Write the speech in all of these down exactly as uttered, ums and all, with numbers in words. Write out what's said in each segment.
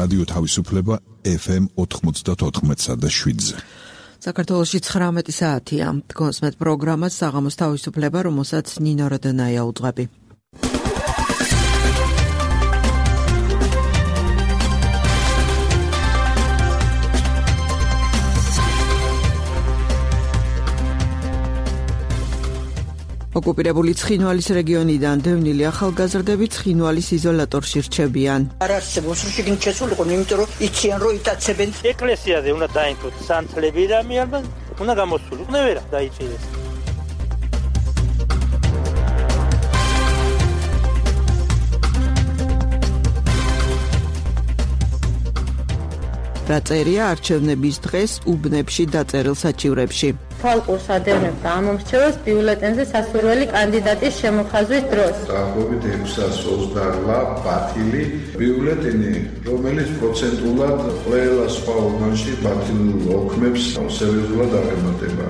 რადიო თავისუფლება ეფ ემ ოთხმოცდაოთხ და შვიდზე. საქართველოში ცხრამეტი საათია. დგონს მეტ პროგრამას საღამოს თავისუფლება, რომელსაც ნინო როდენაია უძღვები. ოკუპირებული ცხინვალის რეგიონიდან დევნილი ახალგაზრდები ცხინვალის იზოლატორში რჩებიან. არ არსებობს რომ შეგინით შესულიყო, იმიტომ რომ იციან რომ იტაცებენ. ეკლესიაზე უნდა დაინთოთ სანთლები და მიარბა უნდა გამოსულიყო, ვერა დაიჭირეს. რაწერია არჩევნების დღეს უბნებში დაწერილ საჩივრებში. თვალყურს ადევნებდა ამ მომრჩევას ბიულეტენზე სასურველი კანდიდატის შემოხაზვის დროს. დაახლოებით ექვსას ოცდაოთხ ბათილი ბიულეტენი, რომელიც პროცენტულად ყველა სხვა უბანში ბათილ ოქმებს სერიოზულად აღემატება.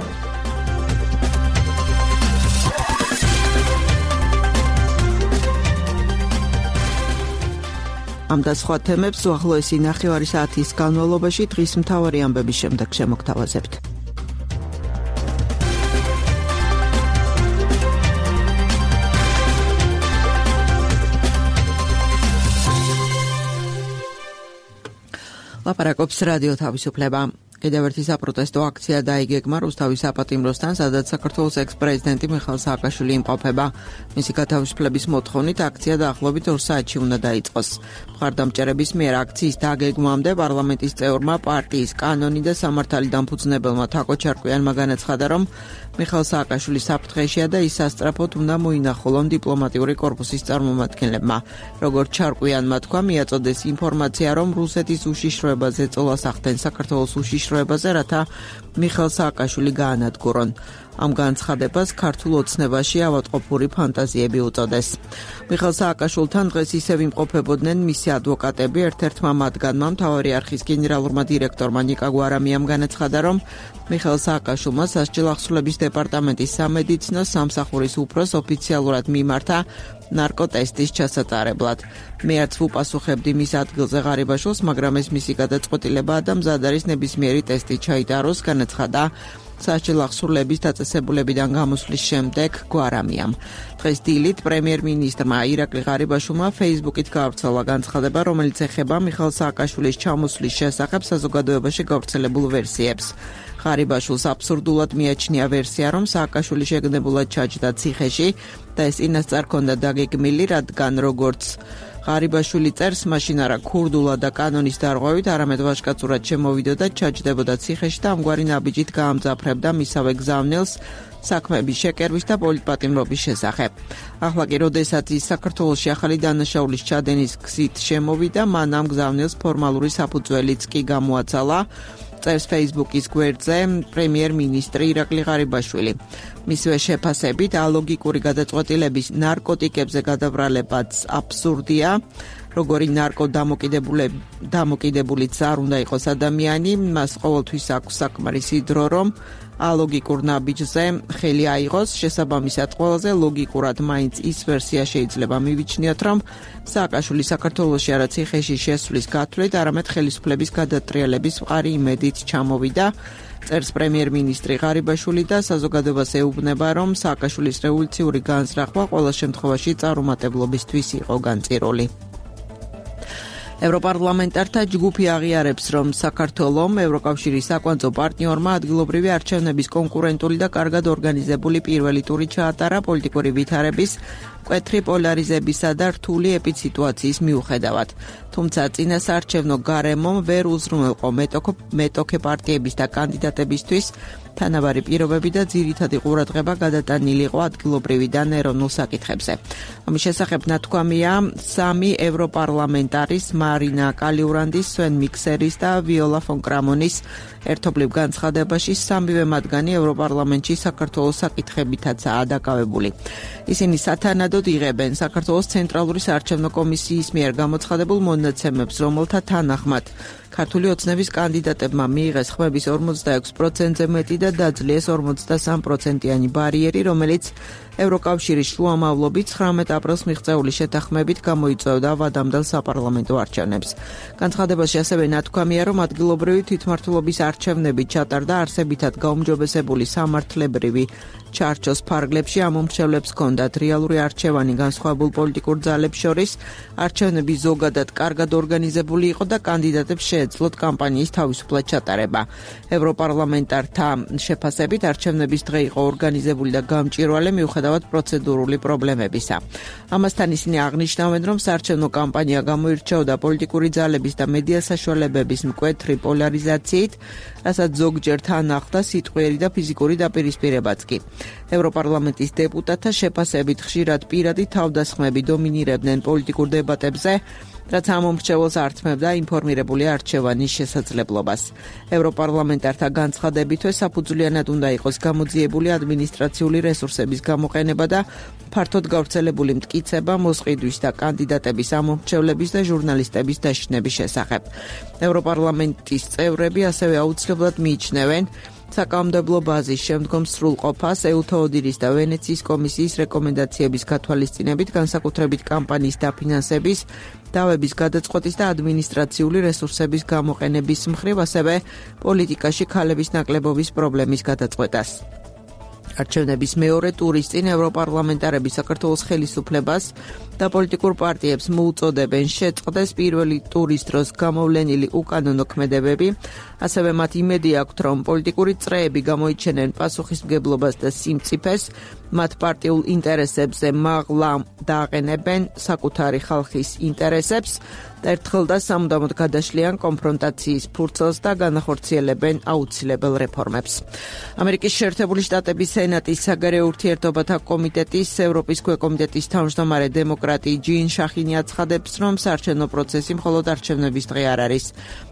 ამ და სხვა თემებს უახლოესი ნახევარი საათის განმავლობაში დღის მთავარი ამბების შემდეგ შემოგთავაზებთ. ლაპარაკობს რადიო თავისუფლება. კიდევ ერთი საპროტესტო აქცია დაიგეგმა რუსთავის საპატიმროსთან, სადაც საქართველოს ექს-პრეზიდენტი მიხეილ სააკაშვილი იმყოფება. მისი გათავისუფლების მოთხოვნით აქცია დაახლოებით ორ საათში უნდა დაიწყოს. მხარდამჭერების მიერ აქციის დაგეგმვამდე პარლამენტის წევრმა, პარტიის კანონი და სამართალი დამფუძნებელმა თაკო ჩარკვიანმა განაცხადა, რომ მიხეილ სააკაშვილი საფრთხეშია და ის სასწრაფოდ უნდა მოინახულონ დიპლომატიური კორპუსის წარმომადგენლებმა. როგორც ჩარკვიანმა თქვა, მიაწოდეს ინფორმაცია, რომ რუსეთის უშიშროებაზე წოლას ახდენ საქართველოს უშიშროებაზე, რათა მიხეილ სააკაშვილი გაანადგურონ. ამ განცხადებას ქართულ ოცნებაში ავადმყოფური ფანტაზიები უწოდეს. მიხეილ სააკაშვილთან დღეს ისევ იმყოფებოდნენ მისი ადვოკატები. ერთ-ერთმა მათგანმა, მთავარი არხის გენერალურმა დირექტორმა ნიკა გვარამიამ განაცხადა, რომ მიხეილ სააკაშვილმა სასჯელ ახსრულების დეპარტამენტის სამედიცინო სამსახურის უფროს ოფიციალურად მიმართა ნარკოტესტის ჩასატარებლად. მე არც ვუპასუხებდი მის ადგილზე ღარიბაშვილს, მაგრამ ეს მისი გადაწყვეტილებაა და მზად არის ნებისმიერი ტესტი ჩაიტაროს, განაცხადა სასჯელ ახსრულების დაწესებულებიდან გამოსვლის შემდეგ გვარამიამ. დღეს დილით პრემიერ-მინისტრმა ირაკლი ღარიბაშვილმა ფეისბუქით გაავრცელა განცხადება, რომელიც ეხება მიხეილ სააკაშვილის ჩამოსვლის შესახებ საზოგადოებაში გავრცელებულ ვერსიებს. ღარიბაშვილს აბსურდულად მიაჩნია ვერსია, რომ სააკაშვილი შეგნებულად ჩაჯდა ციხეში და ეს წინასწარ ჰქონდა დაგეგმილი, რადგან როგორც ღარიბაშვილი წერს, მაშინ არა ქურდულად და კანონის დარღვევით, არამედ ვაჟკაცურად შემოვიდოდა, ჩაჯდებოდა ციხეში და ამგვარი ნაბიჯით გაამძაფრებდა მისავე გზავნილს საქმეების შეკერვის და პოლიტპატიმრობის შესახებ. ახლა კი, როდესაც ის საქართველოში ახალი დანაშაულის ჩადენის გზით შემოვიდა, მან ამ გზავნილს ფორმალური საფუძველიც კი გამოაცალა, წერს ფეისბუქის გვერდზე პრემიერ-მინისტრი ირაკლი ღარიბაშვილი. მისივე შეფასებით, ალოგიკური გადაწყვეტილების ნარკოტიკებზე გადაბრალებაც აბსურდია. როგორი ნარკო დამოკიდებულიც არ უნდა იყოს ადამიანი, მას ყოველთვის აქვს საკმარისი დრო, რომ ალოგიკურ ნაბიჯზე ხელი აიღოს. შესაბამისად, ყველაზე ლოგიკურად მაინც ის ვერსია შეიძლება მივიჩნიოთ, რომ სააკაშვილი საქართველოში არა ციხეში შესვლის გათვლით, არამედ ხელისუფლების გადატრიალების მყარი იმედით ჩამოვიდა. წერს პრემიერ-მინისტრი ღარიბაშვილი და საზოგადოებას ეუბნება, რომ სააკაშვილის რევოლუციური განზრახვა ყველა შემთხვევაში წარუმატებლობისთვის იყო განწირული. ევროპარლამენტართა ჯგუფი აღიარებს, რომ საქართველომ ევროკავშირის საკვანძო პარტნიორმა ადგილობრივი არჩევნების კონკურენტული და კარგად ორგანიზებული პირველი ტური ჩაატარა პოლიტიკური ვითარების, მკვეთრი პოლარიზებისა და რთული ეპიდსიტუაციის მიუხედავად. თუმცა წინასაარჩევნო გარემომ ვერ უზრუნველყო მეტოქე პარტიების და კანდიდატებისთვის თანაბარი პირობები და ძირითადი ყურადღება გადატანილი იყო ადგილობრივიდან ეროვნულ საკითხებზე. ამის შესახებ ნათქვამია სამი ევროპარლამენტარის მარინა კალიურანდის, სვენ მიქსერის და ვიოლა ფონ კრამონის ერთობლივ განცხადებაში. სამივე მათგანი ევროპარლამენტში საქართველოს საკითხებითაცაა დაკავებული. ისინი სათანადოდ იღებენ საქართველოს ცენტრალური საარჩევნო კომისიის მიერ გამოცხადებულ მონაცემებს, რომელთა თანახმად ქართული ოცნების კანდიდატებმა მიიღეს ხმების ორმოცდაექვსი პროცენტზე მეტი და დაძლიეს ორმოცდასამი პროცენტიანი ბარიერი, რომელიც ევროკავშირის შუამავლობით ცხრამეტ აპრილს მიღწეული შეთანხმებით გამოიწვევდა ვადამდელ საპარლამენტო არჩევნებს. არჩევნებს. განცხადებაში ასევე ნათქვამია, რომ ადგილობრივი თვითმმართველობის არჩევნები ჩატარდა არსებითად გაუმჯობესებული სამართლებრივი ჩარჩოს ფარგლებში ამ მომრჩევლებს ჰქონდათ რეალური არჩევანი განსხვავებულ პოლიტიკურ ძალებს შორის, არჩევნები ზოგადად კარგად ორგანიზებული იყო და კანდიდატებს შეეძლოთ კამპანიის თავისუფლად ჩატარება. ევროპარლამენტართა შეფასებით არჩევნების დღე იყო ორგანიზებული და გამჭვირვალე მიუხედავად პროცედურული პრობლემებისა. ამასთან ისინი აღნიშნავენ, რომ საარჩევნო კამპანია გამოირჩეოდა პოლიტიკური ძალების და მედია საშუალებების მკვეთრი პოლარიზაციით, რასაც ზოგჯერ თან ახლდა სიტყვიერი და ფიზიკური დაპირისპირებაც კი. ევროპარლამენტის დეპუტატთა შეფასებით ხშირად პირადი თავდასხმები დომინირებდნენ პოლიტიკურ დებატებზე, რაც ამ მომრჩეველს ართმევდა ინფორმირებული არჩევანის შესაძლებლობას. ევროპარლამენტართა განცხადებითვე საფუძვლიანად უნდა იყოს გამოძიებული ადმინისტრაციული რესურსების გამოყენება და ფართოდ გავრცელებული მტკიცება მოსყიდვის და კანდიდატების ამომრჩევლების და ჟურნალისტების დაშინების შესახებ. ევროპარლამენტის წევრები ასევე აუცილებლად მიიჩნევენ საკანონმდებლო ბაზის შემდგომ სრულყოფას ეუთოოდირის და ვენეციის კომისიის რეკომენდაციების გათვალისწინებით, განსაკუთრებით კამპანიის დაფინანსების, დავების გადაწყვეტის და ადმინისტრაციული რესურსების გამოყენების მხრივ, ასევე პოლიტიკაში ქალების ნაკლებობის პრობლემის გადაწყვეტას. არჩევნების მეორე ტურის წინ ევროპარლამენტარები საქართველოს ხელისუფლებას და პოლიტიკურ პარტიებს მოუწოდებენ შეწყდეს პირველი ტურის დროს გამოვლენილი უკანონო ქმედებები, ასევე მათ იმედი აქვთ, რომ პოლიტიკური წრეები გამოიჩენენ პასუხისმგებლობას და სიმწიფეს, მათ პარტიულ ინტერესებზე მაღლა დააყენებენ საკუთარი ხალხის ინტერესებს და ერთხელ და სამუდამოდ გადაშლიან კონფრონტაციის ფურცელს და განახორციელებენ აუცილებელ რეფორმებს. ამერიკის შეერთებული შტატების სენატის საგარეო ურთიერთობათა კომიტეტის ევროპის ქვეკომიტეტის თავმჯდომარე დემოკრატი ჯინ შახინი აცხადებს, რომ საარჩევნო პროცესი მხოლოდ არჩევნების დღე არ არის.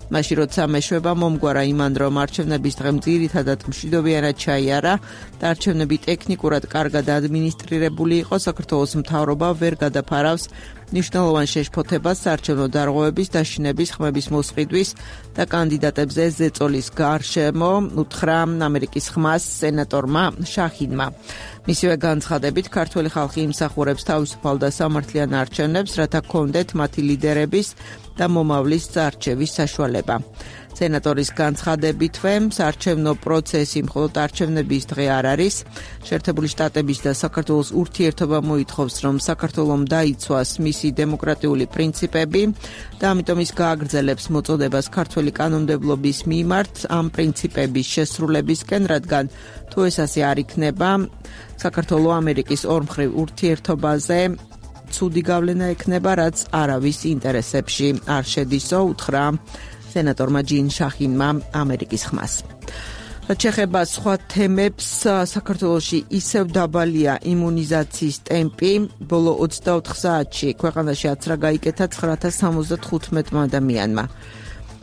მაშინ როცა მეშვება მომგვარა იმან, რომ არჩევნების დღე ძირითადად მშვიდობიანად ჩაიარა და არჩევნები ტექნიკურად კარგად ადმინისტრირებული იყო, საქართველოს მთავრობა ვერ გადაფარავს ნიშნულოვან შეშფოთებას საარჩევნო დარღვევების, დაშინების, ხმების მოსყიდვის და კანდიდატებზე ზეწოლის გარშემო, უთხრა ამერიკის ხმას სენატორმა შახინმა. მისივე განცხადებით, ქართველი ხალხი იმსახურებს თავისუფალ და სამართლიან არჩევნებს, რათა გქონდეთ მათი ლიდერების და მომავლის არჩევის საშუალება. სენატორის განცხადებითვე, საარჩევნო პროცესი მხოლოდ არჩევნების დღე არ არის. შეერთებული შტატების და საქართველოს ურთიერთობა მოითხოვს, რომ საქართველომ დაიცვას მისი დემოკრატიული პრინციპები და ამიტომ ის გააგრძელებს მოწოდებას ქართველი კანონმდებლობის მიმართ ამ პრინციპების შესრულებისკენ, რადგან თუ ეს ასე არ იქნება, საქართველო ამერიკის ორმხრივ ურთიერთობაზე ცუდი გავლენა ექნება, რაც არავის ინტერესებში არ შედისო, უთხრა სენატორმა ჯინ შახინმა ამერიკის ხმას. რაც შეეხება სხვა თემებს, საქართველოში ისევ დაბალია იმუნიზაციის ტემპი. ბოლო ოცდაოთხ საათში ქვეყანაში აცრა გაიკეთა ცხრაათას სამოცდათხუთმეტმა ადამიანმა.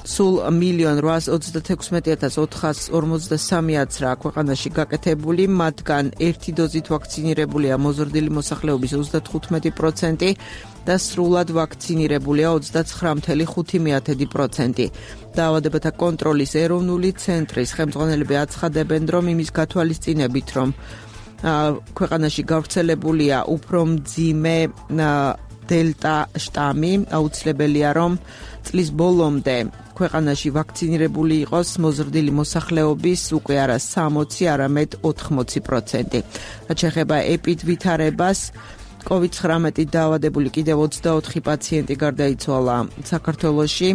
სულ მილიონ რვაას ოცდათექვსმეტი ათას ოთხას ორმოცდასამი აცრა ქვეყანაში გაკეთებული, მათგან ერთი დოზით ვაქცინირებულია მოზრდილი მოსახლეობის ოცდათხუთმეტი პროცენტი და სრულად ვაქცინირებულია ოცდაცხრა ფاصლე ხუთი პროცენტი. დაავადებათა კონტროლის ეროვნული ცენტრის ხელმძღვანელები აცხადებენ, რომ იმის გათვალისწინებით, რომ ქვეყანაში გავრცელებულია უფრო მძიმე დელტა შტამი, აუცილებელია, რომ წლის ბოლომდე ქვეყანაში ვაქცინირებული იყოს მოზრდილი მოსახლეობის უკვე არა სამოცი, არამედ ოთხმოცი პროცენტი. რაც შეეხება ეპიდვითარებას, კოვიდ ცხრამეტი დაავადებული კიდევ ოცდაოთხი პაციენტი გარდაიცვალა საქართველოში,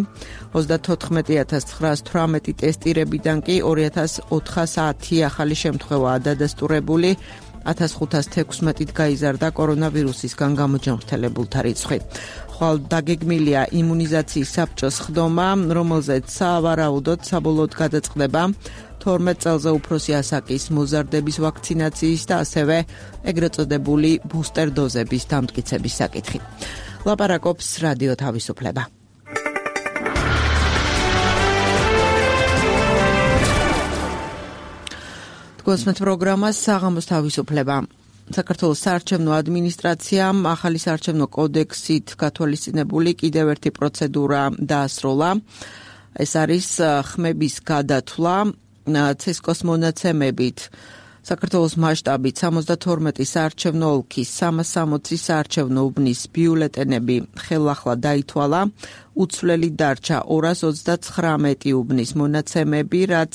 ოცდათოთხმეტი ათას ცხრაას თვრამეტი ტესტირებიდან კი ორი ათას ოთხასი ახალი შემთხვევაა დადასტურებული, ათას ხუთას თექვსმეტით გაიზარდა კორონავირუსისგან გამოჯანმრთელებულთა რიცხვი. ხვალ დაგეგმილია იმუნიზაციის საბჭოს ხდომა, რომელზეც სავარაუდოდ საბოლოოდ გადაწყდება თორმეტ წელზე უფროსი ასაკის მოზარდების ვაქცინაციის და ასევე ეგრეთ წოდებული ბუსტერ დოზების დამტკიცების საკითხი. ლაპარაკობს რადიო თავისუფლება. გოსმეთ პროგრამას საღამოს თავისუფლება. საქართველოს საარჩევნო ადმინისტრაციამ ახალი საარჩევნო კოდექსით გათვალისწინებული კიდევ ერთი პროცედურა დაასრულა. ეს არის ხმების გადათვლა ცესკოს მონაცემებით. საქართველოს მასშტაბით სამოცდათორმეტი საარჩევნო ოლქის სამას სამოცი საარჩევნო უბნის ბიულეტენები ხელახლა დაითვალა, უცვლელი დარჩა ორას ოცდაცხრამეტი უბნის მონაცემები, რაც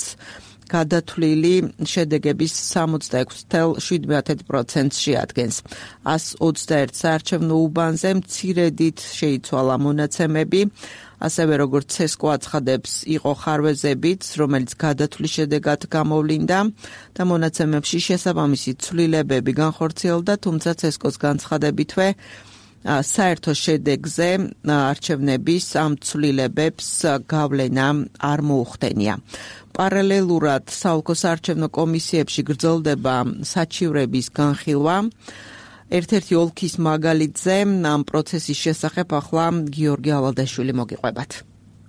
გადათვლილი შედეგების სამოცდაექვსი ცხრა შვიდ პროცენტს შეადგენს. ას ოცდაერთ საარჩევნო უბანზე მცირედით შეიცვალა მონაცემები, ასევე როგორც ცესკო აცხადებს, იყო ხარვეზებიც, რომელიც გადათვლის შედეგად გამოვლინდა და მონაცემებში შესაბამისი ცვლილებები განხორციელდა, თუმცა ცესკოს განცხადებითვე საერთო შედეგზე არჩევნების ამ ცვლილებებს გავლენა არ მოუხდენია. პარალელურად საოლქო საარჩევნო კომისიებში გრძელდება საჩივრების განხილვა. ერთ-ერთი ოლქის მაგალითზე ამ პროცესის შესახებ ახლა გიორგი ავალდაშვილი მოგიყვებათ.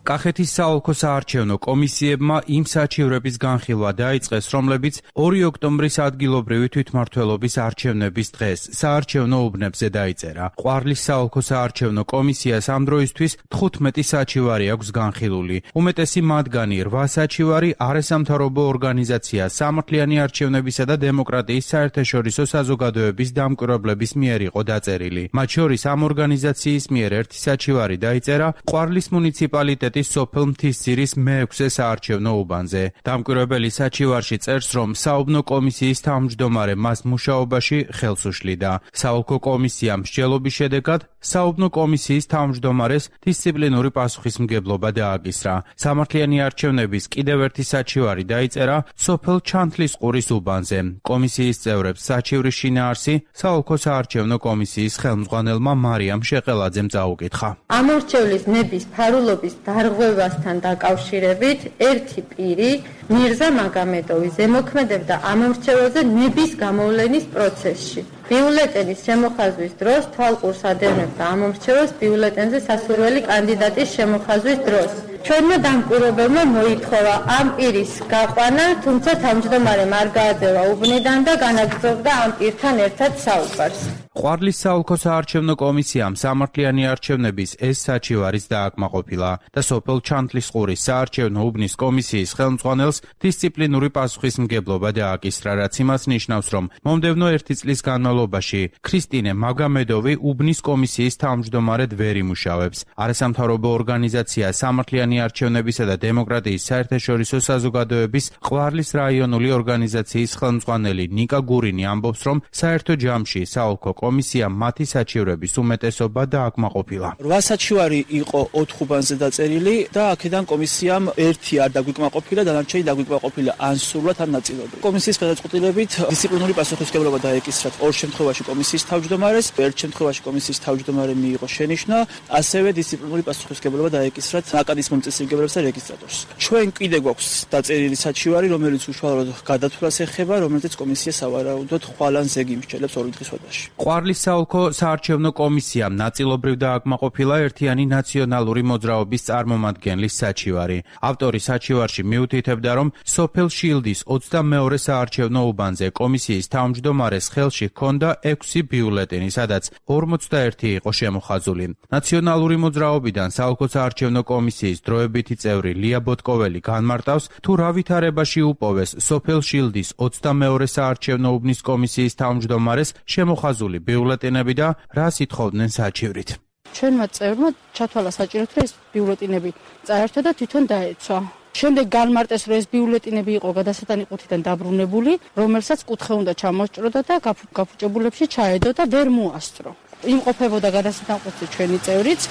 კახეთის საოლქო საარჩევნო კომისიებმა იმ საჩივრების განხილვა დაიწყეს, რომლებიც ორი ოქტომბრის ადგილობრივი თვითმმართველობის არჩევნების დღეს საარჩევნო უბნებზე დაიწერა. ყვარლის საოლქო საარჩევნო კომისიას ამ დროისთვის თხუთმეტი საჩივარი აქვს განხილული. უმეტესი მათგანი რვა საჩივარი არასამთავრობო ორგანიზაცია სამართლიანი არჩევნებისა და დემოკრატიის საერთაშორისო საზოგადოების დამკვირვებლების მიერ იყო დაწერილი. მათ შორის ამ ორგანიზაციის მიერ ერთი საჩივარი დაიწერა ყვარლის მუნიციპალიტეტის სოფელ მთისძირის მეექვსე საარჩევნო უბანზე. დამკვირვებელი საჩივარში წერს, რომ საუბნო კომისიის თავმჯდომარე მას მუშაობაში ხელს უშლიდა. საოლქო კომისიამ მსჯელობის შედეგად საუბნო კომისიის თავმჯდომარეს დისციპლინური პასუხისმგებლობა დააკისრა. სამართლიანი არჩევნების კიდევ ერთი საჩივარი დაიწერა სოფელ ჩანთლისყურის უბანზე. კომისიის წევრებს საჩივრის შინაარსი საოლქო საარჩევნო კომისიის ხელმძღვანელმა მარიამ შეყელაძემ წაუკითხა. ამორჩევლის ნების ფარულობის დარღვევასთან დაკავშირებით ერთი პირი მირზა მაგამედოვი ზემოქმედებდა ამორჩეველზე ნების გამოვლენის პროცესში. ბიულეტენის შემოხაზვის დროს თვალყურს ადევნებდა ამორჩეველს ბიულეტენზე სასურველი კანდიდატის შემოხაზვის დროს. ჩვენმა დამკვირვებელმა მოითხოვა ამ პირის გაყვანა, თუმცა თავმჯდომარემ არ გააძევა უბნიდან და განაგრძობდა ამ პირთან ერთად საუბარს. ყვარლის საოლქო საარჩევნო კომისიამ სამართლიანი არჩევნების ეს საჩივარიც დააკმაყოფილა და სოფელ ჩანთლისყურის საარჩევნო უბნის კომისიის ხელმძღვანელს დისციპლინური პასუხისმგებლობა დააკისრა, რაც იმას ნიშნავს, რომ მომდევნო ერთი წლის განმავლობაში ქრისტინე მაგამედოვი უბნის კომისიის თავმჯდომარედ ვერ იმუშავებს. არასამთავრობო ორგანიზაცია სამართლიანი არჩევნებისა და დემოკრატიის საერთაშორისო საზოგადოების ყვარლის რაიონული ორგანიზაციის ხელმძღვანელი ნიკა გურინი ამბობს, რომ საერთო ჯამში საოლქო კომისიამ მათი საჩივრების უმეტესობა დააკმაყოფილა. რვა საჩივარი იყო ოთხ უბანზე დაწერილი და აქედან კომისიამ ერთი არ დაგვიკმაყოფილა, დანარჩენი დაგვიკმაყოფილა ან სრულად ან ნაწილობრივ. კომისიის გადაწყვეტილებით დისციპლინური პასუხისმგებლობა დაეკისრათ ორ შემთხვევაში კომისიის თავმჯდომარეს, ერთ შემთხვევაში კომისიის თავმჯდომარე მიიღო შენიშვნა, ასევე დისციპლინური პასუხისმგებლობა დაეკისრათ ნაკადის მომწესრიგებლებს და რეგისტრატორს. ჩვენ კიდე გვაქვს დაწერილი საჩივარი, რომელიც უშუალოდ გადათვლას ეხება, რომელიც კომისია სავარაუდოდ ხვალ ან ზეგი იმსჯელებს ორი დღის ვადაში. ყვარლის საოლქო საარჩევნო კომისიამ ნაწილობრივ დააკმაყოფილა ერთიანი ნაციონალური მოძრაობის წარმომადგენლის საჩივარი. ავტორი საჩივარში მიუთითებდა, რომ სოფელ შილდის ოცდამეორე საარჩევნო უბანზე კომისიის თავმჯდომარეს ხელში ჰქონდა ექვსი ბიულეტენი, სადაც ორმოცდაერთი იყო შემოხაზული. ნაციონალური მოძრაობიდან საოლქო საარჩევნო კომისიის დროებითი წევრი ლია ბოტკოველი განმარტავს, თუ რა ვითარებაში უპოვეს სოფელ შილდის ოცდამეორე საარჩევნო უბნის კომისიის თავმჯდომარეს შემოხაზული ბიულეტენები და რას ითხოვდნენ საჩივრით. ჩვენმა წევრმა ჩათვალა საჭიროდ, რომ ეს ბიულეტენები წაერთვა და თვითონ დაეცვა. შემდეგ განმარტეს, რომ ეს ბიულეტენები იყო გადასატანი ყუთიდან დაბრუნებული, რომელსაც კუთხე უნდა ჩამოსჭროდა და გაფუჭებულებში ჩაედო და ვერ მოასწრო. იმყოფებოდა გადასატან ყუთზე ჩვენი წევრიც.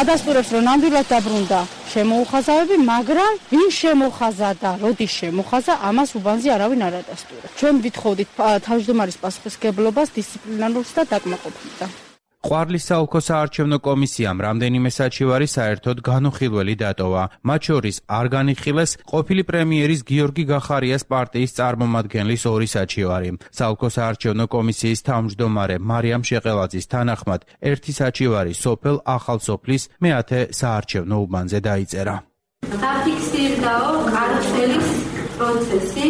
ადასტურებს, რომ ნამდვილად დაბრუნდა შემოუხაზავები, მაგრამ ვინ შემოხაზა და როდის შემოხაზა, ამას უბანზე არავინ არ ადასტურებს. ჩვენ ვითხოვდით თავმჯდომარის პასუხისმგებლობას დისციპლინარულ და დაკმაყოფილდა. ყვარლის საოლქო საარჩევნო კომისიამ რამდენიმე საჩივარი საერთოდ განუხილველი დატოვა. მათ შორის არ განიხილეს ყოფილი პრემიერის გიორგი გახარიას პარტიის წარმომადგენლის ორი საჩივარი. საოლქო საარჩევნო კომისიის თავმჯდომარე მარიამ შეყელაძის თანახმად ერთი საჩივარი სოფელ ახალსოფლის მეათე საარჩევნო უბანზე დაიწერა. დაფიქსირდაო კარცელის პროცესი,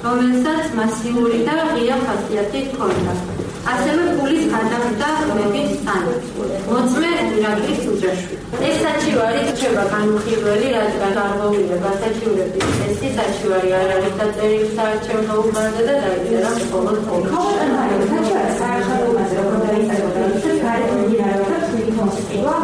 რომელსაც მასიური და ღია ხასიათი ჰქონდა. ასევე ფულის გადახდა მების სანაცვლოდ. მოწმე ირაკლის უჯრაში. ეს საჩივარი რჩება განუხილველი, რადგან გარღვევილება საჩივრების წესი საჩივარი არ არის დაწერილი საარჩევნო უბანზე და დაიწერა მხოლოდ ოლქში. საჩივარი საარჩევნოზე როგორ დაიწერა ის გარემოდინარეობდა თვით მოსყიდვა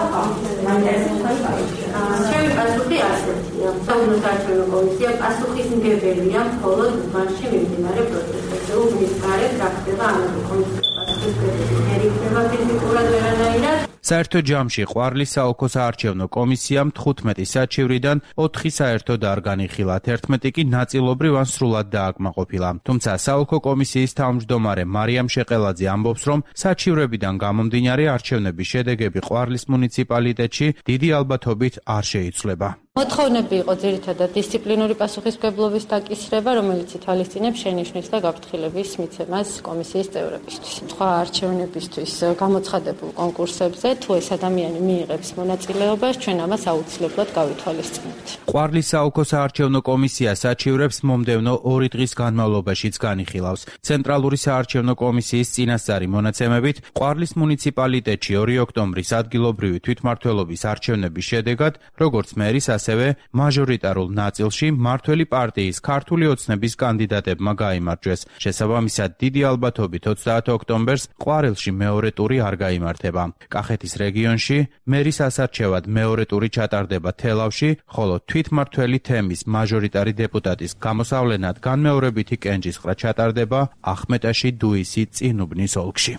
ჩემი პასუხი ასეთია. საუბნო საარჩევნო კომისია პასუხისმგებელია მხოლოდ უბანში მიმდინარე პროცესებზე. უბნის გარეთ რა ხდება ამაზე კომისიის პასუხისმგებელი ვერ იქნება ფიზიკურად ვერანაირად. საერთო ჯამში ყვარლის საოლქო საარჩევნო კომისიამ თხუთმეტი საჩივრიდან ოთხი საერთოდ არ განიხილა, თერთმეტი კი ნაწილობრივ ან სრულად დააკმაყოფილა. თუმცა საოლქო კომისიის თავმჯდომარე მარიამ შეყელაძე ამბობს, რომ საჩივრებიდან გამომდინარე არჩევნების შედეგები ყვარლის მუნიციპალიტეტში დიდი ალბათობით არ შეიცვლება. მოთხოვნები იყო ძირითადად დისციპლინური პასუხისმგებლობის დაკისრება, რომელიც ითვალისწინებს შენიშვნის და გაფრთხილების მიცემას კომისიის წევრებისთვის. სხვა არჩევნებისთვის გამოცხადებულ კონკურსებზე თუ ეს ადამიანი მიიღებს მონაწილეობას, ჩვენ ამას აუცილებლად გავითვალისწინებთ. ყვარლის საოლქო საარჩევნო კომისია საჩივრებს მომდევნო ორი დღის განმავლობაშიც განიხილავს. ცენტრალური საარჩევნო კომისიის წინასწარი მონაცემებით, ყვარლის მუნიციპალიტეტში ორი ოქტომბრის ადგილობრივი თვითმმართველობის არჩევნების შედეგად, როგორც მერის ასევე მაჟორიტარულ ნაწილში მმართველი პარტიის ქართული ოცნების კანდიდატებმა გაიმარჯვეს. შესაბამისად, დიდი ალბათობით ოცდაათი ოქტომბერს ყვარელში მეორე ტური არ გაიმართება. კახეთის რეგიონში მერის ასარჩევად მეორე ტური ჩატარდება თელავში, ხოლო თვითმმართველი თემის მაჟორიტარი დეპუტატის გამოსავლენად განმეორებითი კენჭისყრა ჩატარდება ახმეტაში, დუისი, წინუბნის ოლქში.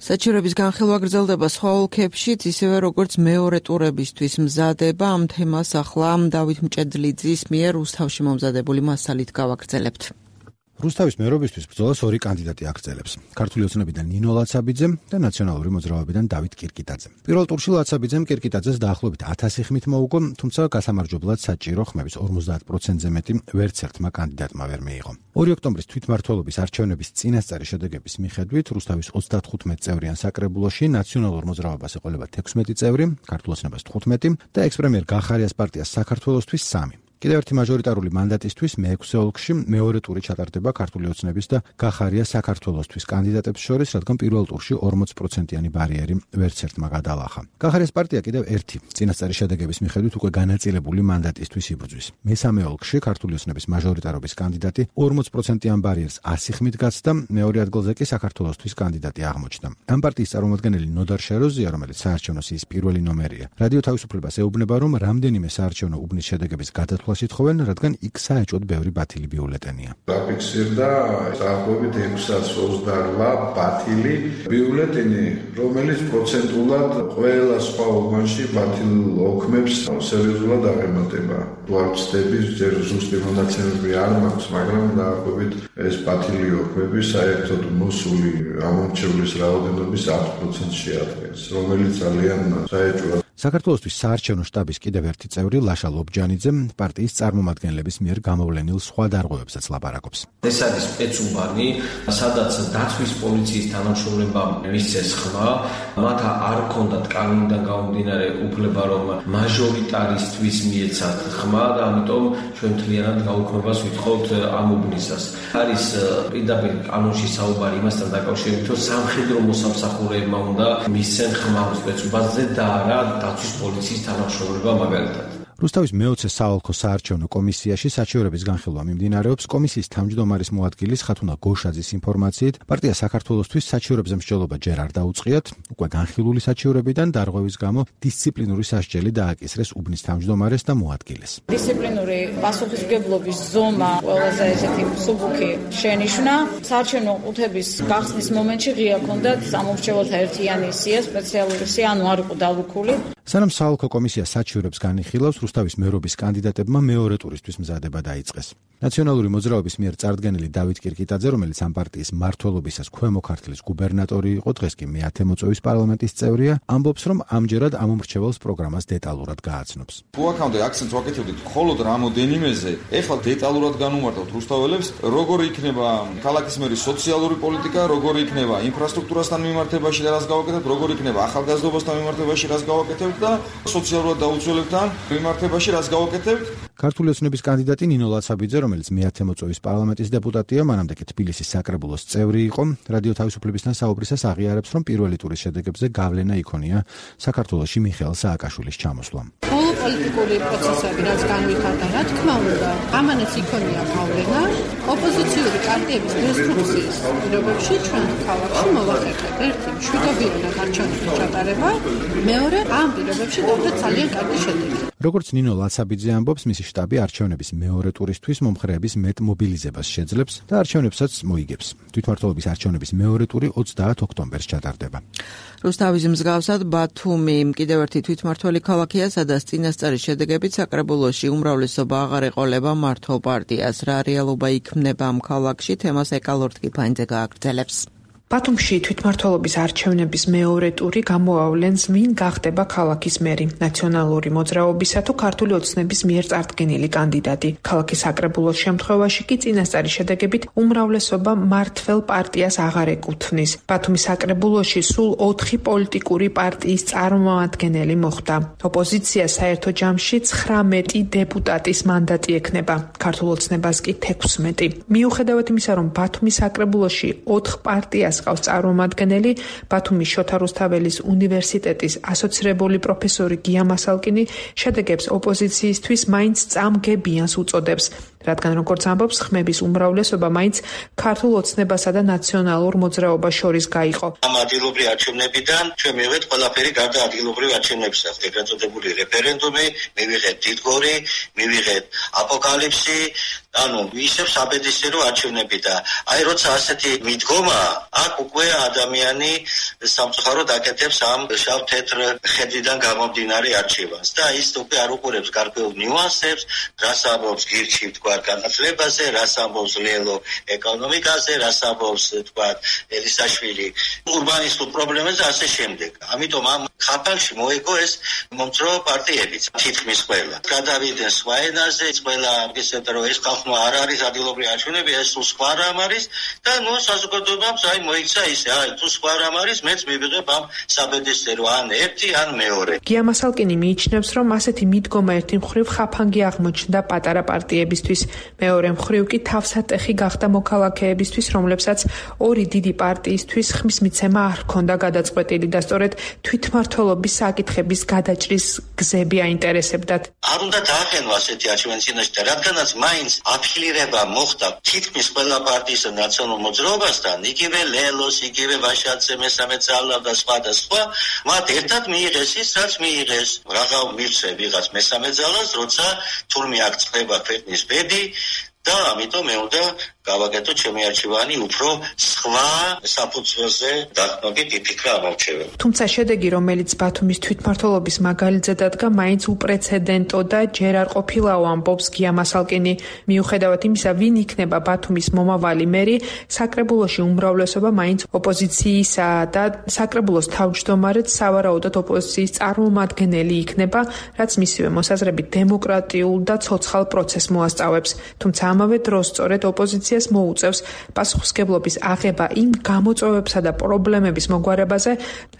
საჩივრების განხილვა გრძელდება სხვა ოლქებშიც, ისევე როგორც მეორე ტურებისთვის მზადება. ამ თემას ახლა დავით მჭედლიძის მიერ რუსთავში მომზადებული მასალით გავაგრძელებთ. რუსთავის მერობისთვის ბრძოლას ორი კანდიდატი აგრძელებს. ქართული ოცნებიდან ნინო ლაცაბიძე და ნაციონალური მოძრაობიდან დავით კირკიტაძე. პირველ ტურში ლაცაბიძემ კირკიტაძეს დაახლოებით ათასი ხმით მოუგო, თუმცა გასამარჯვებლად საჭირო ხმების ორმოცდაათ პროცენტზე მეტი ვერც ერთმა კანდიდატმა ვერ მიიღო. ორი ოქტომბრის თვითმმართველობის არჩევნების წინასწარი შედეგების მიხედვით რუსთავის ოცდათხუთმეტ წევრიან საკრებულოში ნაციონალურ მოძრაობას ეყოლება თექვსმეტი წევრი, ქართულ ოცნებას თხუთმეტი და ექს-პრემიერ გახარიას პარტიას საქართველოსთვის სამი. კიდევ ერთი მაჟორიტარული მანდატისთვის მეექვსე ოლქში მეორე ტური ჩატარდება ქართული ოცნების და გახარია საქართველოსთვის კანდიდატებს შორის, რადგან პირველ ტურში ორმოც პროცენტიანი ბარიერი ვერც ერთმა გადალახა. გახარიას პარტია კიდევ ერთი წინასწარი შედეგების მიხედვით უკვე განაწილებული მანდატისთვის იბრძვის. მესამე ოლქში ქართული ოცნების მაჟორიტარობის კანდიდატი ორმოც პროცენტიან ბარიერს ასი ხმით გაცდა, მეორე ადგილზე კი საქართველოსთვის კანდიდატი აღმოჩნდა. ამ პარტიის წარმომადგენელი ნოდარ შეროზია, რომელიც საარჩევნო სიის პირველი ნომერია, რადიო თავისუფლებას ეუბნება, რომ რამდენიმე საარჩევნო უბნის შედეგების გადათვლა ითხოვენ, რადგან იქ საეჭვოდ ბევრი ბათილი ბიულეტენია. დაფიქსირდა დაახლოებით ექვსას ოცდაოთხ ბათილი ბიულეტენი, რომელიც პროცენტულად ყველა სხვა უბანში ბათილ ოქმებს სერიოზულად აღემატება. თუ არ ვცდები, ჯერ ზუსტი მონაცემები არ მაქვს, მაგრამ დაახლოებით ეს ბათილი ოქმები საერთოდ მოსული ამომრჩევლის რაოდენობის ათ პროცენტს შეადგენს, რომელიც ძალიან საეჭვოდ. საქართველოსთვის საარჩევნო შტაბის კიდევ ერთი წევრი ლაშა ლობჯანიძე პარტიის წარმომადგენლების მიერ გამოვლენილ სხვა დარღვევებსაც ლაპარაკობს. ეს არის სპეცუბანი, სადაც დაცვის პოლიციის თანამშრომლებამ მისცეს ხმა, მათ არ ჰქონდათ კანონიდან გამომდინარე უფლება, რომ მაჟორიტარისთვის მიეცათ ხმა და ამიტომ ჩვენ მთლიანად გაუქმებას ვითხოვთ ამ უბნისას. არის პირდაპირ კანონში საუბარი იმასთან დაკავშირებით, რომ სამხედრო მოსამსახურეებმა უნდა მისცენ ხმა სპეცუბანზე და არა დაცვის პოლიციის თანამშრომლობა მაგალითად. რუსთავის მეოცე საოლქო საარჩევნო კომისიაში საჩივრების განხილვა მიმდინარეობს. კომისიის თავმჯდომარის მოადგილის ხათუნა გოშაძის ინფორმაციით, პარტია საქართველოსთვის საჩივრებზე მსჯელობა ჯერ არ დაუწყიათ, უკვე განხილული საჩივრებიდან დარღვევის გამო დისციპლინური სასჯელი დააკისრეს უბნის თავმჯდომარეს და მოადგილეს. დისციპლინური პასუხისმგებლობის ზომა ყველაზე ესეთი მსუბუქი შენიშვნა. საარჩევნო ყუთების გახსნის მომენტში ღია ჰქონდათ სამომრჩეველთა ერთიანი სია, სპეციალური სია, ანუ არ იყო დალუქული. სანამ საოლქო კომისია საჩივრებს განიხილავს, რუსთავის მერობის კანდიდატებმა მეორე ტურისთვის მზადება დაიწყეს. ნაციონალური მოძრაობის მიერ წარდგენილი დავით კირკიტაძე, რომელიც ამ პარტიის მმართველობისას ქვემო ქართლის გუბერნატორი იყო, დღეს კი მეათე მოწვევის პარლამენტის წევრია, ამბობს, რომ ამჯერად ამომრჩეველს პროგრამას დეტალურად გააცნობს. თუ აქამდე აქცენტს ვაკეთებდით მხოლოდ რამოდენიმეზე, ეხლა დეტალურად განუმარტავთ რუსთაველებს, როგორი იქნება ქალაქის მერის სოციალური პოლიტიკა, როგორი იქნება ინფრასტრუქტურასთან მიმართებაში და რას გავაკეთებთ, როგორი იქნება ახალგაზრდობასთან მიმართებაში რას გავაკეთებთ დავუწყებთ და სოციალურად დაუცველებთ ამ მიმართებაში რას გავაკეთებთ. ქართული ოცნების კანდიდატი ნინო ლაცაბიძე, რომელიც მეათე მოწვევის პარლამენტის დეპუტატია, მანამდე კი თბილისის საკრებულოს წევრი იყო, რადიო თავისუფლებისთან საუბრისას აღიარებს, რომ პირველი ტურის შედეგებზე გავლენა იქონია საქართველოში მიხეილ სააკაშვილის ჩამოსვლამ. Όλο პოლიტიკური პროცესები რაც განვითარდა, რა თქმა უნდა, ამანაც იქონია გავლენა. ოპოზიციური პარტიების დესტრუქციის პირობებში ჩვენ ქალაქში მოვახერხეთ ერთი მშვიდობიანად არჩევნების ჩატარება, მეორე ამ პირობებში დავდეთ ძალიან კარგი შედეგი. როგორც ნინო ლაცაბიძე ამბობს, მისი შტაბი არჩევნების მეორე ტურისთვის მომხრეების მეტ მობილიზებას შეძლებს და არჩევნებსაც მოიგებს. თვითმმართველობის არჩევნების მეორე ტური ოცდაათ ოქტომბერს ჩატარდება. რუსთავის მსგავსად ბათუმი კიდევ ერთი თვითმმართველი ქალაქია, სადაც წინასწარი შედეგებით საკრებულოში უმრავლესობა აღარ ეყოლება მართლ პარტიას. რა რეალობა იქმნება ამ ქალაქში, თემას ეკალორდ კიფანიძე გააგრძელებს. ბათუმში თვითმმართველობის არჩევნების მეორე ტური გამოავლენს ვინ გახდება ქალაქის მერი, ნაციონალური მოძრაობისა თუ ქართული ოცნების მიერ წარდგენილი კანდიდატი. ქალაქის საკრებულოს შემთხვევაში კი წინასწარი შედეგებით უმრავლესობა მართლ პარტიას აღარ ეკუთვნის. ბათუმის საკრებულოში სულ ოთხი პოლიტიკური პარტიის წარმომადგენელი მოხვდა. ოპოზიცია საერთო ჯამში ცხრამეტი დეპუტატის მანდატი ექნება, ქართულ ოცნებას კი თექვსმეტი. მიუხედავად იმისა, რომ ბათუმის საკრებულოში ოთხ პარტიას ყავს წარმომადგენელი, ბათუმის შოთა რუსთაველის უნივერსიტეტის ასოცირებული პროფესორი გია მასალკინი შედეგებს ოპოზიციისთვის მაინც წამგებიანს უწოდებს, რადგან როგორც ამბობს, ხმების უმრავლესობა მაინც ქართულ ოცნებასა და ნაციონალურ მოძრაობას შორის გაიყო. ამ ადგილობრივი არჩევნებიდან ჩვენ მივიღეთ ყველაფერი გარდა ადგილობრივი არჩევნებისა, ეგრეთ წოდებული რეფერენდუმი, მივიღეთ დიდგორი, მივიღეთ აპოკალიფსი, ანუ ისევ საბედისწერო არჩევნები და აი როცა ასეთი მიდგომა, აქ უკვე ადამიანი სამწუხაროდ აკეთებს ამ შავ-თეთრ ხედვიდან გამომდინარე არჩევანს და ის უკვე არ უყურებს გარკვეულ ნიუანსებს, რას ამბობს გირჩი თქვა განათლებაზე, რას ამბობს ლელო ეკონომიკაზე, რას ამბობს თქვა ელისაშვილი ურბანისტულ პრობლემებზე ასე შემდეგ. ამიტომ ამ ხაფანში მოიგო ეს მომწრო პარტიებიც თითქმის ყველა. გადავიდნენ სხვა ენაზე, ყველა ისეთ რომ ეს ხალხმა არ არის ადგილობრივი არჩევნები, ეს სულ სხვა რამ არის და ნუ საზოგადოებამ აი მოიქცა ისე, აი თუ სხვა რამ არის, მეც მივიღებ ამ საბედისწერო ან ერთი ან მეორე. გია მასალკინი მიიჩნევს, რომ ასეთი მიდგომა ერთი მხრივ ხაფანგი აღმოჩნდა პატარა პარტიებისთვის, მეორე მხრივ კი თავსატეხი გახდა მოქალაქეებისთვის, რომლებსაც ორი დიდი პარტიისთვის ხმის მიცემა არ ჰქონდა გადაწყვეტილი და სწორედ თვითმმართველობის საკითხების გადაჭრის გზები აინტერესებდათ. არ უნდა დაახენო ასეთი არჩევანი წინაშე და რადგანაც მაინც აფილირება მოხდა თითქმის ყველა პარტიის და ნაციონალურ მოძრაობასთან, იგივე ლელოს, იგივე ვაშაძე, მესამე ძალა და სხვა და სხვა, მათ ერთად მიიღეს ის, რაც მიიღეს. რაღა მივცე ვიღაც მესამე ძალას, როცა თურმე აქ წდება ქვეყნის ბედი და ამიტომ მე უნდა გავაკეთო ჩემი არჩევანი უფრო სხვა საფუძველზე დახმობით იფიქრა ამ არჩევანი. თუმცა შედეგი, რომელიც ბათუმის თვითმმართველობის მაგალითზე დადგა, მაინც უპრეცედენტო და ჯერ არ ყოფილაო, ამბობს გია მასალკინი. მიუხედავად იმისა, ვინ იქნება ბათუმის მომავალი მერი, საკრებულოში უმრავლესობა მაინც ოპოზიციისა და საკრებულოს თავმჯდომარეც სავარაუდოდ ოპოზიციის წარმომადგენელი იქნება, რაც მისივე მოსაზრებით დემოკრატიულ და ცოცხალ პროცესს მოასწავებს. თუმცა ამავე დროს სწორედ ოპოზიციას მოუწევს პასუხისმგებლობის აღება იმ გამოწვევებსა და პრობლემების მოგვარებაზე,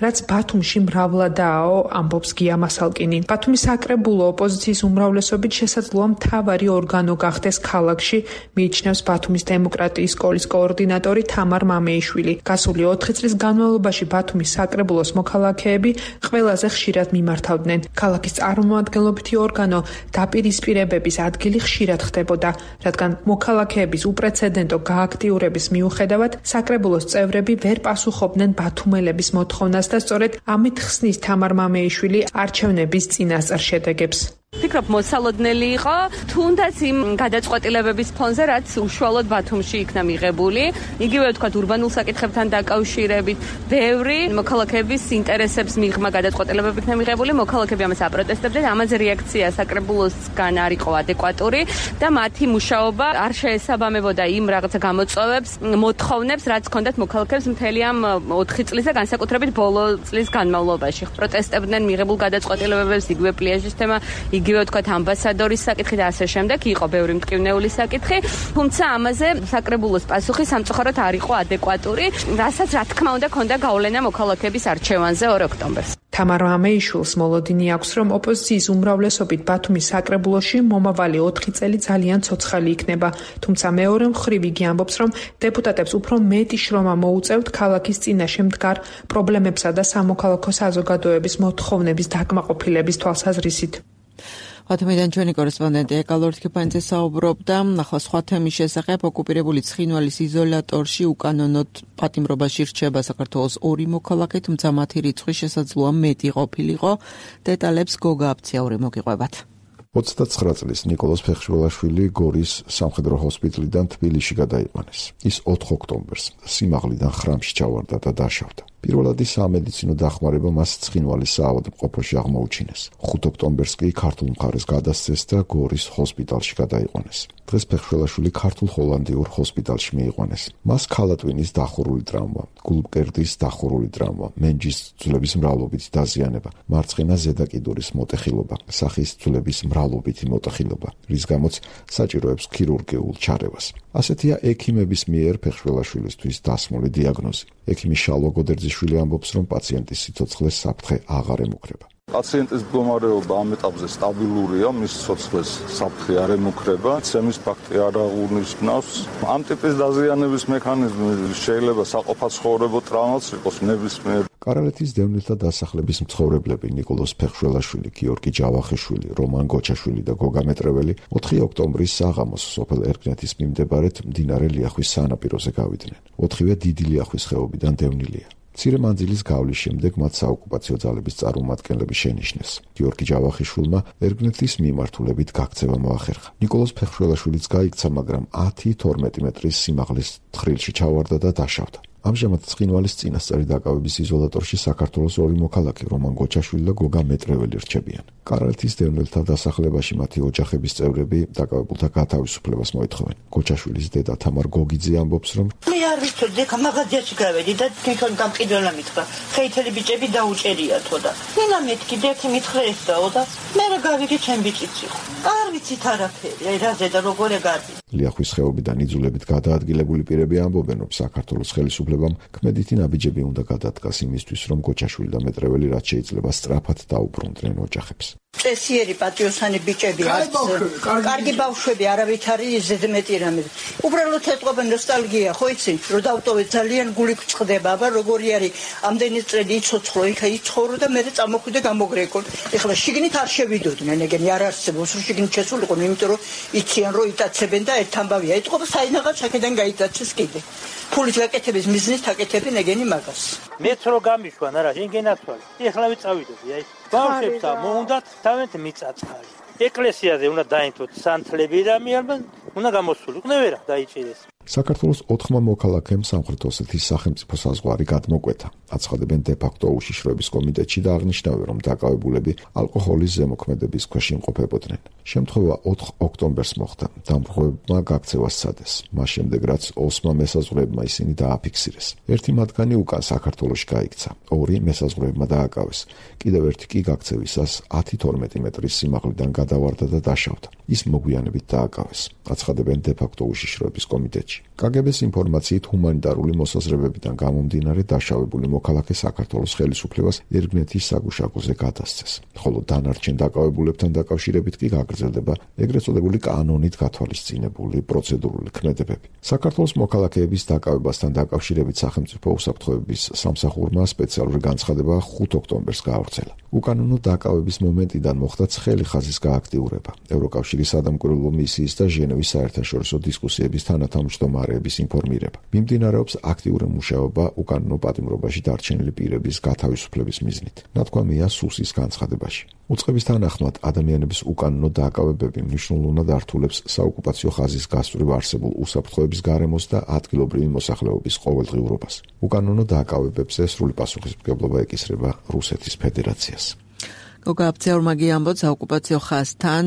რაც ბათუმში მრავლადაა, ამბობს გია მასალკინი. ბათუმის საკრებულო ოპოზიციის უმრავლესობით შესაძლოა მთავარი ორგანო გახდეს ქალაქში, მიიჩნევს ბათუმის დემოკრატიის სკოლის კოორდინატორი თამარ მამეიშვილი. გასული ოთხი წლის განმავლობაში ბათუმის საკრებულოს მოქალაქეები ყველაზე ხშირად მიმართავდნენ. ქალაქის წარმომადგენლობითი ორგანო დაპირისპირებების ადგილი ხშირად ხდებოდა, რადგან მოქალაქეების უპრეცედენტო გააქტიურების მიუხედავად საკრებულოს წევრები ვერ პასუხობდნენ ბათუმელების მოთხოვნას და სწორედ ამით ხსნის თამარ მამეიშვილი არჩევნების წინასწარ შედეგებს. ფიქრობ მოსალოდნელი იყო, თუნდაც იმ გადაწყვეტილებების ფონზე, რაც უშუალოდ ბათუმში იქნა მიღებული, იგივე ვთქვათ ურბანულ საკითხებთან დაკავშირებით, ბევრი მოქალაქეების ინტერესებს მიღმა გადაწყვეტილებები იქნა მიღებული, მოქალაქეები ამას აპროტესტებდნენ, ამაზე რეაქცია საკრებულოსგან არ იყო ადეკვატური და მათი მუშაობა არ შეესაბამებოდა იმ რაღაცა გამოწვევებს, მოთხოვნებს, რაც ჰქონდათ მოქალაქეებს მთელი ამ ოთხი წლის და განსაკუთრებით ბოლო წლის განმავლობაში. პროტესტებდნენ მიღებულ გადაწყვეტილებებს, იგივე პლიაჟის თემა, იგივე თქვათ ამბასადორის საკითხი და ასე შემდეგ, იყო ბევრი მტკივნეული საკითხი, თუმცა ამაზე საკრებულოს პასუხი სამწუხაროდ არ იყო ადეკვატური, რასაც რა თქმა უნდა ქონდა გავლენა მოქალაქეების არჩევანზე ორ ოქტომბერს. თამარ ამეიშვილს მოლოდინი აქვს, რომ ოპოზიციის უმრავლესობით ბათუმის საკრებულოში მომავალი ოთხი წელი ძალიან ცოცხალი იქნება, თუმცა მეორე მხრივ იგი ამბობს, რომ დეპუტატებს უფრო მეტი შრომა მოუწევთ ქალაქის წინაშე მდგარ პრობლემებსა და სამოქალაქო საზოგადოების მოთხოვნების დაკმაყოფილების თვალსაზრისით. ბათუმიდან ჩვენი კორესპონდენტი ეკალორ თქიფანიძე საუბრობდა ახლა სხვა თემის შესახებ. ოკუპირებული ცხინვალის იზოლატორში უკანონოდ პატიმრობაში რჩება საქართველოს ორი მოქალაქე, თუმცა მათი რიცხვი შესაძლოა მეტი ყოფილიყო. დეტალებს გოგა აფციაური მოგიყვებათ. ოცდაცხრა წლის ნიკოლოზ ფეხშველაშვილი გორის სამხედრო ჰოსპიტალიდან თბილისში გადაიყვანეს. ის ოთხ ოქტომბერს სიმაღლიდან ხრამში ჩავარდა და დაშავდა. პირველადი სამედიცინო დახმარება მას ცხინვალის საავადმყოფოში აღმოუჩინეს. ხუთ ოქტომბერს კი ქართულ მხარეს გადასცეს და გორის ჰოსპიტალში გადაიყვანეს. დღეს ფეხშველაშვილი ქართულ ჰოლანდიურ ჰოსპიტალში მიიყვანეს. მას ქალატვინის დახურული ტრავმა, გულმკერდის დახურული ტრავმა, მენჯის ძვლების მრავლობითი დაზიანება, მარცხენა ზედაკიდურის მოტეხილობა, სახის ძვლების მრავლობითი მოტეხილობა, რის გამოც საჭიროებს ქირურგიულ ჩარევას. ასეთია ექიმების მიერ ფეხშველაშვილისთვის დასმული დიაგნოზი. ექიმი შალვა გოდერძიშვილი ამბობს, რომ პაციენტის სიცოცხლეს საფრთხე აღარ ემუქრება. პაციენტის მდგომარეობა ამ ეტაპზე სტაბილურია, მის სიცოცხლეს საფრთხე არ ემუქრება, ცემის ფაქტი არ აღუნიშნავს. ამ ტიპის დაზიანების მექანიზმი შეიძლება საყოფაცხოვრებო ტრავმაც იყოს ნებისმიერ. კარალეთის დევნილთა დასახლების მცხოვრებლები ნიკოლოზ ფეხშველაშვილი, გიორგი ჯავახიშვილი, რომან გოჩაშვილი და გოგა მეტრეველი ოთხი ოქტომბრის საღამოს სოფელ ერგნეთის მიმდებარედ მდინარე ლიახვის სანაპიროზე გავიდნენ. ოთხივე დიდი ლიახვის ხეობიდან დევნილია. მცირე მანძილის გავლის შემდეგ მათ საოკუპაციო ძალების წარმომადგენლები შენიშნეს. გიორგი ჯავახიშვილმა ერგნეთის მიმართულებით გაქცევა მოახერხა. ნიკოლოზ ფეხშველაშვილიც გაიქცა, მაგრამ ათი თორმეტი მეტრის სიმაღლის თხრილში ჩავარდა და დაშავდა. ამჟამად ცხინვალის წინასწარი დაკავების იზოლატორში საქართველოს ორი მოქალაქე, რომან გოჩაშვილი და გოგა მეტრეველი რჩებიან. კარალეთის დევნილთა დასახლებაში მათი ოჯახების წევრები დაკავებულთა გათავისუფლებას მოითხოვენ. გოჩაშვილის დედა თამარ გოგიძე ამბობს, რომ მე არ ვიცოდი, ხა მაღაზიაში გავედი და თვითონ გამყიდველა მითხრა, ხეითელი ბიჭები დაუჭერიათო და ნინა მეთქი დექი მითხრა ეს დაო და მე რა გავიგე ჩემ ბიჭიც იყო. არ ვიცით არაფერი, აი რაზე და როგორ ეგარდი. ლიახვის ხეობიდან იძულებით გადაადგილებული პირები ამბობენ, რომ საქართველოს ხელისუფლებამ ქმედითი ნაბიჯები უნდა გადადგას იმისთვის, რომ გოჩაშვილი და მეტრეველი რაც შეიძლება სწრაფად დაუბრუნდნენ ოჯახებს. წესიერი პატიოსანი ბიჭები არც კარგი ბავშვები არავითარი ზედმეტი რამე. უბრალოდ ეთყობა ნოსტალგია, ხო იცი? რომ დავტოვე ძალიან გული გწყდება, აბა როგორი არის ამდენი წელი იცოცხლო, იქა იცხოვრო და მე წამოხვიდე გამოგრეკო. ეხლა შიგნით არ შევიდოდნენ, ეგენი არ არსებობს, რომ შიგნით შესულიყო, იმიტომ რომ იციან რომ იტაცებენ და ერთ ამბავია. ეთყობა საინაღად შაქედან გაიტაცეს კიდე. ფულის გაკეთების მიზნით აკეთებენ ეგენი მაგას. მეც რო გამიშვან, არა, შენ გენათვალე. ეხლა ვიწავიდები, აი. ბავშვებსა მოუნდათ თავენთ მიწაწყალი. ეკლესიაზე უნდა დაინთოთ სანთლები და მიარბან უნდა გამოსულიყო ვერა დაიჭირეს. საქართველოს ოთხმა მოქალაქემ სამხრეთ ოსეთის სახელმწიფო საზღვარი გადმოკვეთა. აცხადებენ დე-ფაქტო უშიშროების კომიტეტში და აღნიშნავენ, რომ დაკავებულები ალკოჰოლის ზემოქმედების ქვეშ იმყოფებოდნენ. შემთხვევა ოთხ ოქტომბერს მოხდა. დამპყრობლებმა გაქცევა სცადეს. მას შემდეგ რაც ოსმა მესაზღვრეებმა ისინი დააფიქსირეს. ერთი მათგანი უკან საქართველოში გაიქცა. ორი მესაზღვრეებმა დააკავეს. კიდევ ერთი კი გაქცევისას ათი თორმეტი მეტრის სიმაღლიდან გადავარდა და დაშავდა. ის მოგვიანებით დააკავეს. აცხადებენ დე-ფაქტო უშიშროების კომიტეტში. კაგებეს ინფორმაციით ჰუმანიტარული მოსაზრებებიდან გამომდინარე დაშავებული მოქალაქე საქართველოს ხელისუფლებას ერგნეთის საგუშაგოზე გადასცეს, ხოლო დანარჩენ დაკავებულებთან დაკავშირებით კი გაგრძელდება ეგრეთ წოდებული კანონით გათვალისწინებული პროცედურული ქმედებები. საქართველოს მოქალაქეების დაკავებასთან დაკავშირებით სახელმწიფო უსაფრთხოების სამსახურმა სპეციალური განცხადება ხუთ ოქტომბერს გაავრცელა. უკანონო დაკავების მომენტიდან მოხდა ცხელი ხაზის გააქტიურება. ევროკავშირის სადამკვირვებლო მისიის და ჟენევის საერთაშორისო დისკუსიების თანათავმჯდომარეების ინფორმირება. მიმდინარეობს აქტიური მუშაობა უკანონო პატიმრობაში დარჩენილი პირების გათავისუფლების მიზნით. ნათქვამია სუსის განცხადებაში. უწყების თანახმად ადამიანების უკანონო დაკავებები მნიშვნელოვნად ართულებს საოკუპაციო ხაზის გასწვრივ არსებულ უსაფრთხოების გარემოს და ადგილობრივი მოსახლეობის ყოველდღიურობას. უკანონო დაკავებებზე სრული პასუხისმგებლობა ეკისრება რუსეთის ფედერაციას. გოგა აფციაურმა ამბობს საოკუპაციო ხაზთან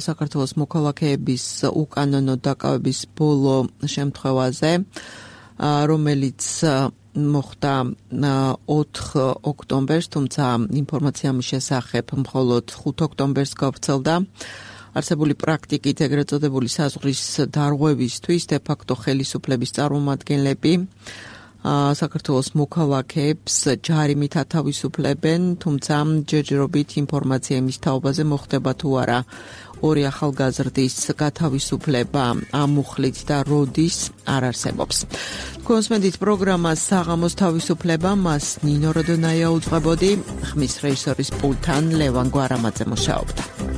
საქართველოს მოქალაქეების უკანონო დაკავების ბოლო შემთხვევაზე. რომელიც მოხდა ოთხ ოქტომბერს, თუმცა ინფორმაცია ამის შესახებ მხოლოდ ხუთ ოქტომბერს გავრცელდა. არსებული პრაქტიკით ეგრეთ წოდებული საზღვრის დარღვევისთვის დე-ფაქტო ხელისუფლების წარმომადგენლები საქართველოს მოქალაქეებს ჯარიმით ათავისუფლებენ, თუმცა ჯერჯერობით ინფორმაცია იმის თაობაზე მოხდება თუ არა ორი ახალგაზრდის გათავისუფლება ამ მუხლით და როდის არ არსებობს. კონსმენდით პროგრამას საღამოს თავისუფლება მას ნინო როდონაია უძღვებოდი, ხმის რეჟისორის პულტთან ლევან გვარამაძე მუშაობდა.